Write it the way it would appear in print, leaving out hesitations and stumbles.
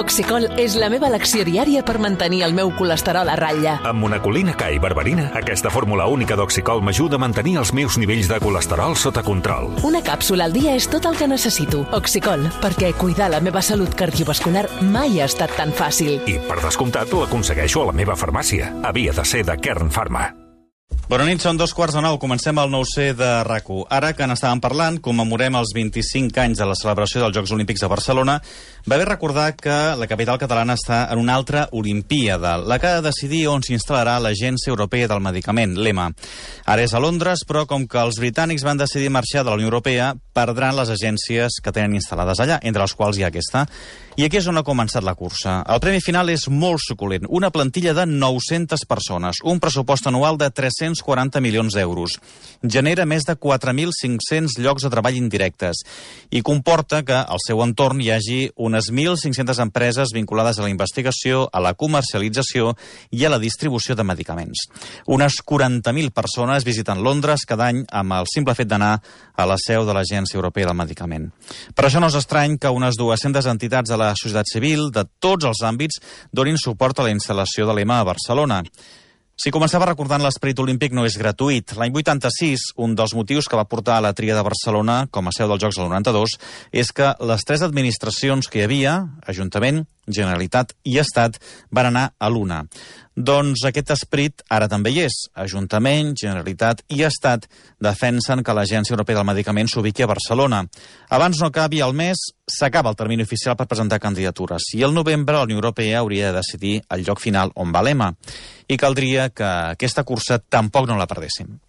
Oxicol és la meva elecció diària per mantenir el meu colesterol a ratlla. Amb monacolina K i berberina, aquesta fórmula única d'Oxicol m'ajuda a mantenir els meus nivells de colesterol sota control. Una càpsula al dia és tot el que necessito. Oxicol, perquè cuidar la meva salut cardiovascular mai ha estat tan fàcil. I, per descomptat, l'aconsegueixo a la meva farmàcia. Havia de ser de Kern Pharma. Bona nit, són 8:45. Comencem el 9C de RAC1. Ara que n'estàvem parlant, commemorem els 25 anys de la celebració dels Jocs Olímpics de Barcelona. Va bé recordar que la capital catalana està en una altra Olimpíada, la que ha de decidir on s'instal·larà l'Agència Europea del Medicament, l'EMA. Ara és a Londres, però com que els britànics van decidir marxar de la Unió Europea, perdran les agències que tenen instal·lades allà, entre les quals hi ha aquesta. I aquí és on ha començat la cursa. El premi final és molt suculent. Una plantilla de 900 persones, un pressupost anual de 340 milions d'euros. Genera més de 4.500 llocs de treball indirectes i comporta que al seu entorn hi hagi unes 1.500 empreses vinculades a la investigació, a la comercialització i a la distribució de medicaments. Unes 40.000 persones visiten Londres cada any amb el simple fet d'anar a la seu de l'Agència Europea del Medicament. Per això no és estrany que unes 200 entitats de la societat civil de tots els àmbits donin suport a la instal·lació de l'EMA a Barcelona. Si començava recordant l'esperit olímpic no és gratuït. L'any 86, un dels motius que va portar a la tria de Barcelona com a seu dels Jocs del 92 és que les tres administracions que hi havia, Ajuntament, Generalitat i Estat, van anar a l'una. Doncs aquest esperit ara també hi és. Ajuntament, Generalitat i Estat defensen que l'Agència Europea del Medicament s'ubiqui a Barcelona. Abans no acabi el mes, s'acaba el termini oficial per presentar candidatures i el novembre la Unió Europea hauria de decidir el lloc final on va l'EMA. I caldria que aquesta cursa tampoc no la perdéssim.